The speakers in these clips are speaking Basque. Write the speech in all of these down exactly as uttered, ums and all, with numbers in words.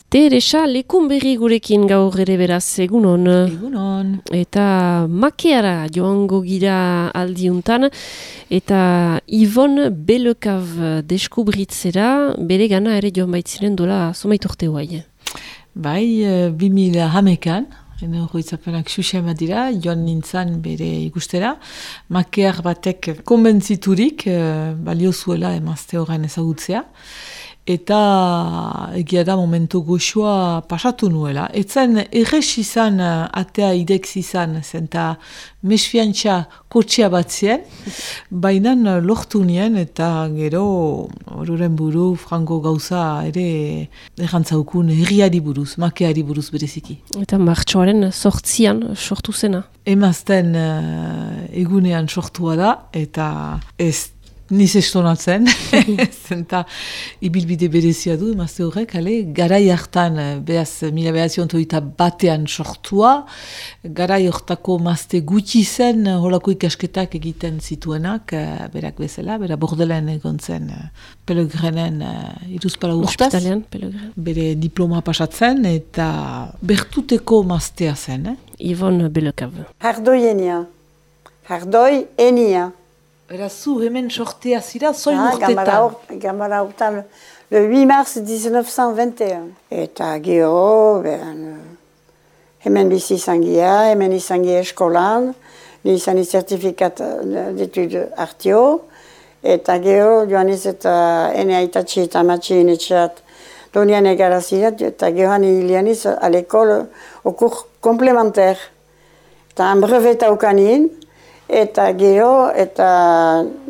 Teresa, lekun berri gurekin gaur ere beraz, egunon. Egunon. Eta makeara joango gira aldiuntan, eta Ivon Belekav deskubritzera, bere gana ere joan baitziren dola zomait urte guai. Bai, bi mila hamekan, ene horretzapenak susema dira, joan nintzan bere ikustera. Makear batek konbentziturik, balio zuela emazte horren ezagutzea. Eta egia da momentu goxoa pasatu nuela. Etzen errez izan, atea ideks izan, zenta mesfiantza kotxea bat zien, baina lortu nien eta gero horren buru frango gauza ere errantzaukun herriari buruz, makeari buruz bereziki. Eta martxoaren sortzian sortu zena. Emazten uh, egunean sortua da eta ez niz estonatzen, zenta ibilbide berezia du, emazte horrek, ale, garai hartan, behaz, mila behazion toita batean sortua, garai hortako mazte gutxi zen, holako ikasketak egiten zituenak, berak bezala, bera bordelen egon zen, Pelegrinen iruzpala urtaz, bere diploma pasatzen, eta bertuteko maztea zen, eh? Ivon Belekav. Hardoi enia, hardoi enia. Era zu hemen sortea zira, zoin ah, urtetan? Gamara urtean, le huit mars mille neuf cent vingt et un. Eta gero, ben, hemen bizi izan gira, hemen izan gira eskolan, ni izan zertifikat d'étude artio, eta gero, joan ez eta ene aitatxe eta matxe inetxeat donian egarazirat, eta gero han hilian iz a l'école au cours complémentaire. Eta han breveta ukanin, eta gero, eta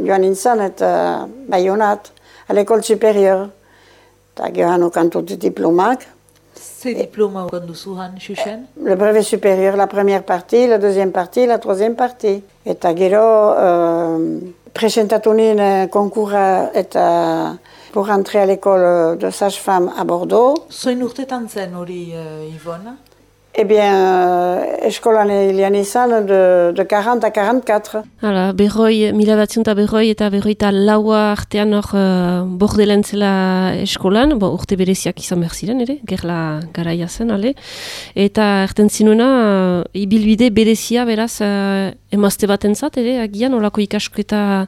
joan nintzen, eta Bayonat, à l'école supérieure. Eta gero han okantut diplomak. Ze diploma okan duzu han, Xuxen? Le brevet supérieur, la première partie, la deuxième partie, la troisième partie. Eta gero, euh, presentatu nien konkurra eta pour entrer à l'école de sage-femme à Bordeaux. Zoin urtetan zen hori, uh, Ivona? Eh bien, euh, eskolan hilian izan de, de quarante à quarante-quatre. Hala, berroi, mila batzion eta berroi eta berroi eta laua artean hor uh, bordelen zela eskolan, bo, urte bereziak izan behar ziren ere, gerla garaia zen, ale. Eta erten zinuena, uh, ibilbide berezia beraz uh, emazte batentzat ere, agian, olako ikasketa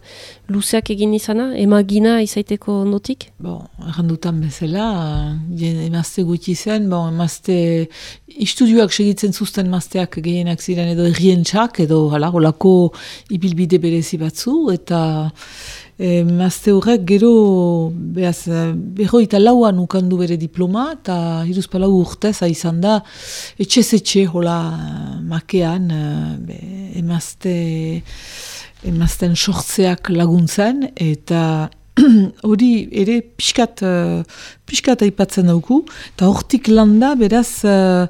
luzeak egin izana, emagina izaiteko ondotik? Bon, errandutan bezala, emazte gutxi zen, bon, emazte istudioak segitzen zuzten emazteak gehienak ziren edo errientxak, edo hala, olako ibilbide berezi batzu, eta emazte horrek gero, behaz, berroita lauan ukandu bere diploma, eta hiruzpalau urtez izan da, etxez etxe, hola, makean, be, emazte, emazten sortzeak laguntzen, eta hori ere pixkat, uh, pixkat aipatzen dauku, eta hortik landa beraz uh,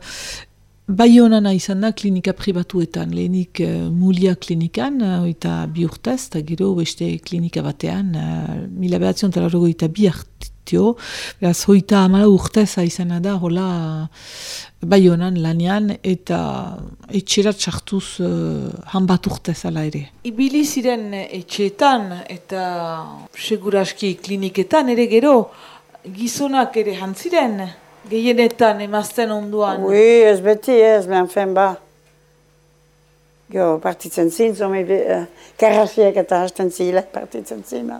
Bayonana izan da klinika pribatuetan, lehenik uh, Mulia klinikan, uh, eta bi urtez, eta gero beste klinika batean, uh, mila behatzion talarrogo eta bi hartio, beraz hoita amala urtez izan da, hola Bayonan lanean, eta etxerat sartuz uh, han bat urtez ala ere. Ibili ziren etxeetan eta seguraski kliniketan ere gero, gizonak ere jantziren, gehienetan emazten onduan. Oui, ez beti ez, men fen ba. Jo, partitzen zin, zome uh, karrafiek eta hasten zile partitzen zin.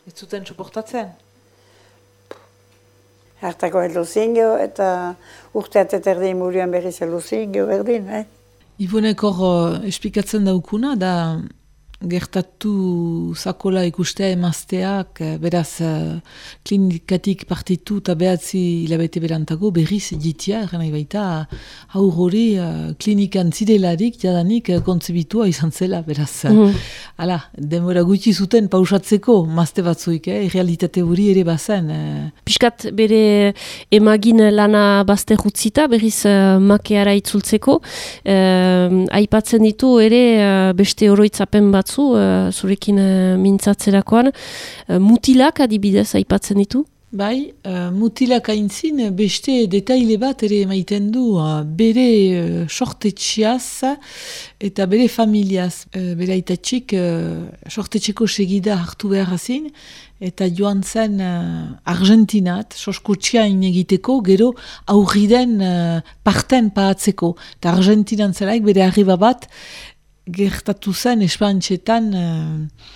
Ez zuten soportatzen? Hartako heldu zingio eta urteat eta erdin murioan berriz heldu zingio berdin, eh? Ivonek hor uh, esplikatzen daukuna, da gertatu zakola ikustea emazteak, beraz uh, klinikatik partitu eta behatzi hilabete berantago berriz jitia, erren nahi baita, haur hori uh, klinikan zidelarik jadanik uh, kontzebitua izan zela, beraz. Mm. Hala, denbora gutxi zuten pausatzeko mazte batzuik, eh? Realitate hori ere bazen. Eh? Piskat bere emagin lana bazte jutzita, berriz uh, makeara itzultzeko, uh, aipatzen ditu ere uh, beste oroitzapen batzu, uh, zurekin uh, mintzatzerakoan, uh, mutilak adibidez aipatzen ditu? Bai, uh, mutilak aintzin beste detaile bat ere emaiten du uh, bere uh, sortetxiaz eta bere familiaz. Uh, bere aitatxik uh, sortetxeko segida hartu behar hazin eta joan zen uh, Argentinat, soskutxiain egiteko, gero aurriden uh, parten paatzeko. Eta Argentinan zelaik bere arriba bat gertatu zen espantxetan uh,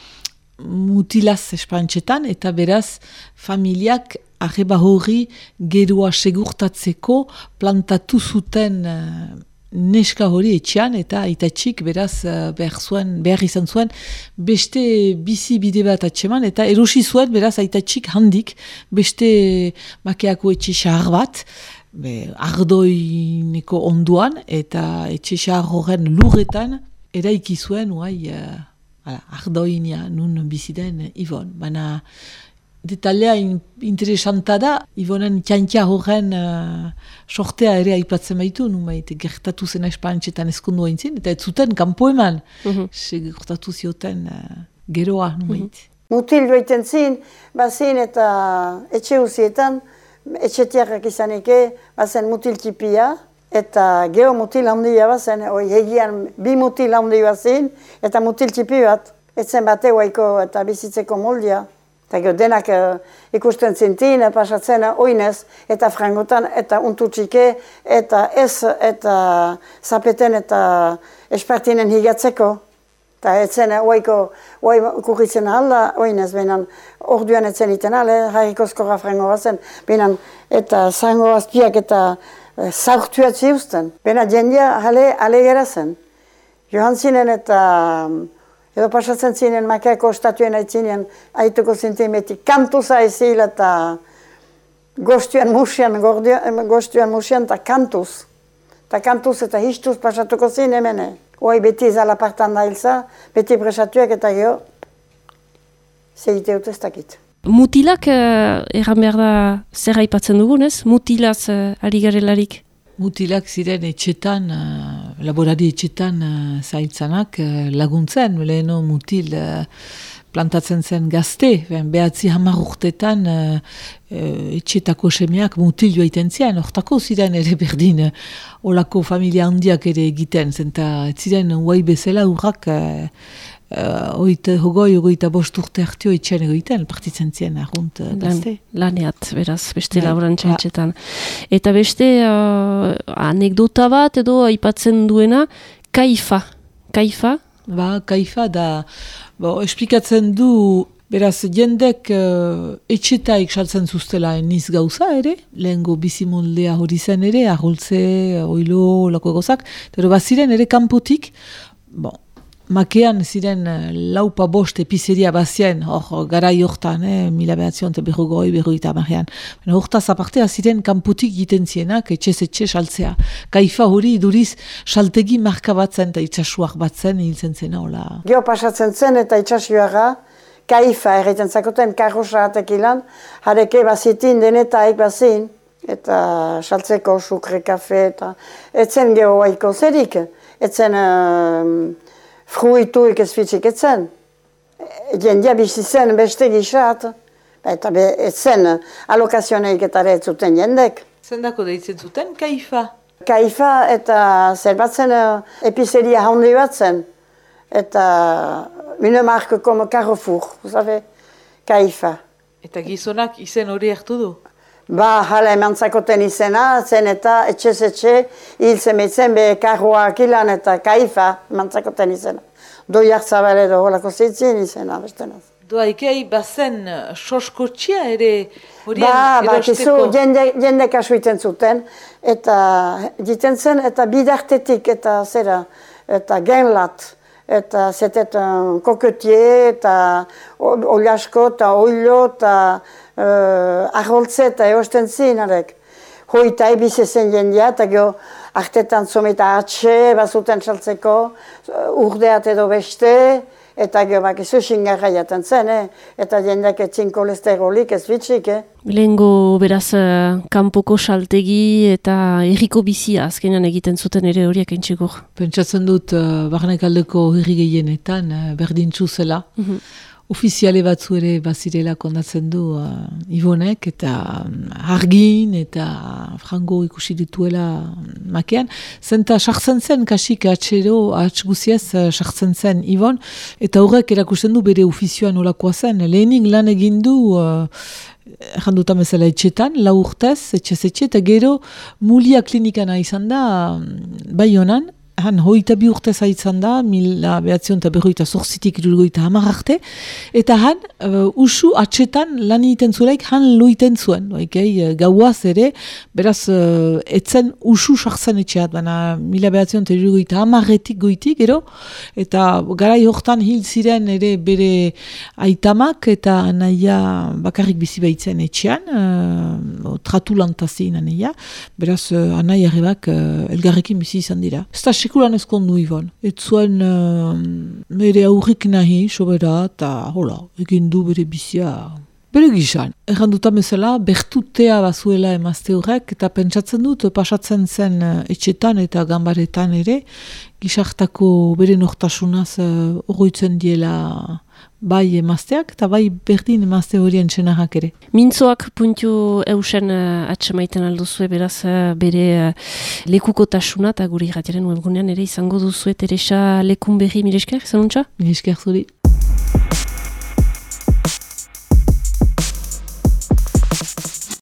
mutilaz espantxetan, eta beraz familiak arreba hori geroa segurtatzeko plantatu zuten uh, neska hori etxean, eta aitatxik beraz uh, behar, zuen, behar izan zuen beste bizi bide bat atxeman, eta erosi zuen beraz aitatxik handik beste makeako etxe xahar bat, be, ardoineko onduan, eta etxe xahar horren lurretan eraiki zuen uai uh, ardoinia nun biziden Ibon. Baina detailea in, interesanta da, Ibonen txantia horren uh, sortea ere aipatzen baitu, numait gertatu zen espantxetan eskundu haintzin, eta ez zuten kanpo eman, mm-hmm. gertatu zioten uh, geroa numait. Mm-hmm. Mutil joiten zin, bazin eta etxe uzietan, etxetiarrak izanike, bazen mutil tipia, eta geho mutil handia bazen, oi hegian bi mutil handi bazin, eta mutil txipi bat. Etzen bate guaiko eta bizitzeko moldia. Eta geho denak uh, ikusten zintin, pasatzen oinez, eta frangotan, eta untutxike, eta ez, eta zapeten, eta espartinen higatzeko. Eta etzen guaiko, guai kurritzen alda, oinez, behinan, orduan etzen iten ale, harrikozkorra frango bazen, behinan, eta zango azpiak, eta zaurtuat ziusten. Bena jendia ale, ale gera zen. Johan zinen eta edo pasatzen zinen makeako estatuen aitzinen aituko zintin beti kantuza ezil eta goztuan musian, goztuan musian eta kantuz. Eta kantuz eta histuz pasatuko zin hemene. Hoi beti zala partan da hilza, beti presatuak eta geho zegite utestakit. Mutilak, uh, erran behar da zer aipatzen dugunez, mutilaz uh, ari garelarik? Mutilak ziren etxetan, uh, laborari etxetan uh, zailtzanak uh, laguntzen, leheno mutil uh, plantatzen zen gazte, ben, behatzi hamar urtetan uh, uh, etxetako semeak mutil joaiten ziren, hortako ziren ere berdin, uh, olako familia handiak ere egiten, zenta ziren huai bezala urrak, uh, Uh, oita, hogoi, ogoita bost urte hartio etxean egoiten, partitzen ziren argunt uh, gazte. Lan, laneat, beraz, beste laborantza etxetan. Eta beste uh, anekdota bat edo aipatzen duena, kaifa. Kaifa? Ba, kaifa da, bo, esplikatzen du, beraz, jendek uh, etxetaik saltzen zuztela eniz gauza ere, lehengo bizimoldea hori zen ere, aholtze, oilo, lako egozak, pero baziren ere kanpotik, bon, makean ziren laupa bost epizeria bazien, hor garai hortan, eh, mila behatzion eta berrogoi, berroita marrean. Hortaz apartea ziren kanputik egiten zienak, etxez-etxe saltzea. Kaifa hori iduriz saltegi marka batzen eta itxasuak batzen hiltzen zena, hola. Geo pasatzen zen eta itxasuaga, kaifa erreiten zakoten karrosa hatek ilan, hareke bazitin denetaik bazin, eta saltzeko sukre, kafe, eta etzen geho haiko zerik, etzen uh, fruituik ez fitxik etzen. Jendia bizi zen beste gixat, eta etzen alokazioneik eta ere zuten jendek. Zendako deitzen zuten, kaifa? Kaifa eta zer batzen epizeria handi bat zen. Eta une marque como Carrefour, vous savez, kaifa. Eta gizonak izen hori hartu du? Ba, hala emantzakoten izena, zen eta etxez-etxe, hil zemetzen be karroak ilan eta kaifa emantzakoten izena. Doi hartzabale edo holako zitzien izena, bestenaz. Doa, ikei bazen soskotxia ere horien ba, erosteko? Ba, jende, jende kasuiten zuten, eta diten zen, eta bidartetik, eta zera, eta genlat, eta zetet koketie, eta oliasko, eta oilo, eta uh, aholtze, eta eosten zinarek. Hoita ebizezen jendia, eta geho artetan zometa atxe, bazuten saltzeko, urdeat edo beste, eta geho bak izu xingarra jaten zen, eh? Eta jendeak etzin kolesterolik ez bitxik. Eh? Lehengo beraz kanpoko saltegi eta herriko bizia azkenean egiten zuten ere horiak entxekur. Pentsatzen dut uh, barnekaldeko herri gehienetan uh, berdintzu zela. Mm-hmm. ofiziale batzu ere bazirela kondatzen du uh, Ivonek, eta um, argin, eta frango ikusi dituela makean. Zenta sartzen zen, kasik atxero, atx guziez, sartzen zen Ivon, eta horrek erakusten du bere ofizioan olakoa zen. Lehenik lan egin du, uh, erranduta bezala etxetan, lau urtez, etxez etxe, eta gero mulia klinikana izan da, bai honan, han hoita bi urte zaitzan da, mila behatzion eta berroita zorzitik irurgoita hamar arte, eta han uh, usu atxetan lan egiten zuelaik han loiten zuen. Okay? Gauaz ere, beraz, uh, etzen usu sartzen etxeat, baina mila behatzion eta irurgoita hamarretik goitik, gero, eta garai hortan hil ziren ere bere aitamak, eta anaia bakarrik bizi baitzen etxean, uh, tratu lantazien anaia, beraz, uh, anaia rebak uh, elgarrekin bizi izan dira. Sekulan ezkondu Ivon. Ez zuen uh, bere aurrik nahi, sobera, eta hola, egin du bere bizia. Bere gizan, erranduta bezala, bertutea bazuela emazte horrek, eta pentsatzen dut, pasatzen zen uh, etxetan eta gambaretan ere, gizartako bere nortasunaz uh, oroitzen diela bai emazteak, eta bai berdin emazte horien txenarrak ere. Mintzoak puntu eusen uh, atxemaiten alduzue, beraz uh, bere uh, lekukotasuna, eta guri irratiaren webgunean ere izango duzue Teresa Lekunberri, mire esker, zanuntza? Mire esker zuri.